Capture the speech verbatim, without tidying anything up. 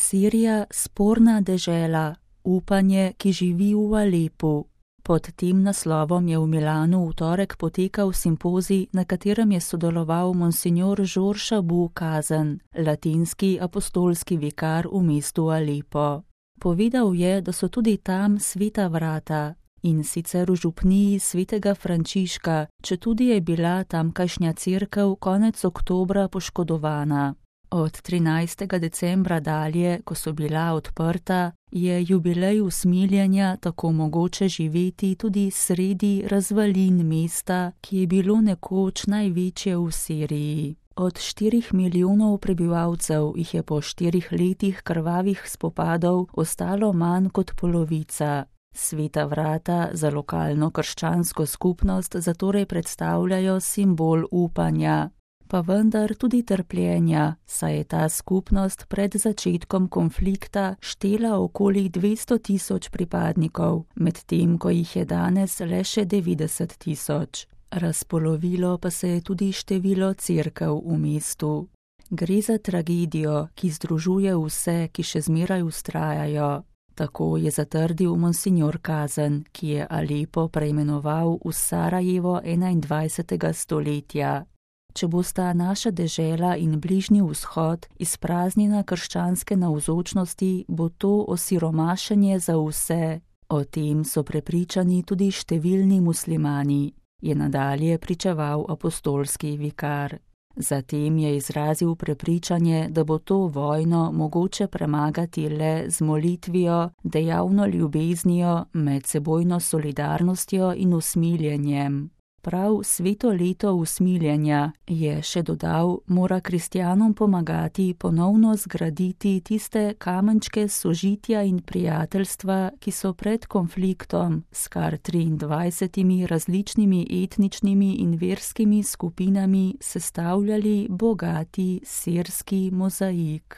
Sirija, sporna dežela, upanje, ki živi v Alepu. Pod tem naslovom je v Milanu v torek potekal simpozij, na katerem je sodeloval monsignor Georges Abou Kazen, latinski apostolski vikar v mestu Alepo. Povedal je, da so tudi tam sveta vrata, in sicer v župniji svetega Frančiška, četudi je bila tamkajšnja cerkev konec oktobra poškodovana. Od trinajstega decembra dalje, ko so bila odprta, je jubilej usmiljenja tako mogoče živeti tudi sredi razvalin mesta, ki je bilo nekoč največje v Siriji. Od štirih milijonov prebivalcev jih je po štirih letih krvavih spopadov ostalo manj kot polovica. Sveta vrata za lokalno krščansko skupnost zatorej predstavljajo simbol upanja, pa vendar tudi trpljenja, saj je ta skupnost pred začetkom konflikta štela okoli dvesto tisoč pripadnikov, medtem ko jih je danes le še devetdeset tisoč. Razpolovilo pa se je tudi število cerkev v mestu. Gre za tragedijo, ki združuje vse, ki še zmeraj vztrajajo. Tako je zatrdil monsignor Kazen, ki je Alepo preimenoval v Sarajevo enaindvajsetega stoletja. Če bosta naša dežela in Bližnji vzhod izpraznjena krščanske navzočnosti, bo to osiromašenje za vse. O tem so prepričani tudi številni muslimani, je nadalje pričeval apostolski vikar. Zatem je izrazil prepričanje, da bo to vojno mogoče premagati le z molitvijo, dejavno ljubeznijo, medsebojno solidarnostjo in usmiljenjem. Prav sveto leto usmiljenja, je še dodal, mora kristjanom pomagati ponovno zgraditi tiste kamenčke sožitja in prijateljstva, ki so pred konfliktom s kar triindvajsetimi različnimi etničnimi in verskimi skupinami sestavljali bogati sirski mozaik.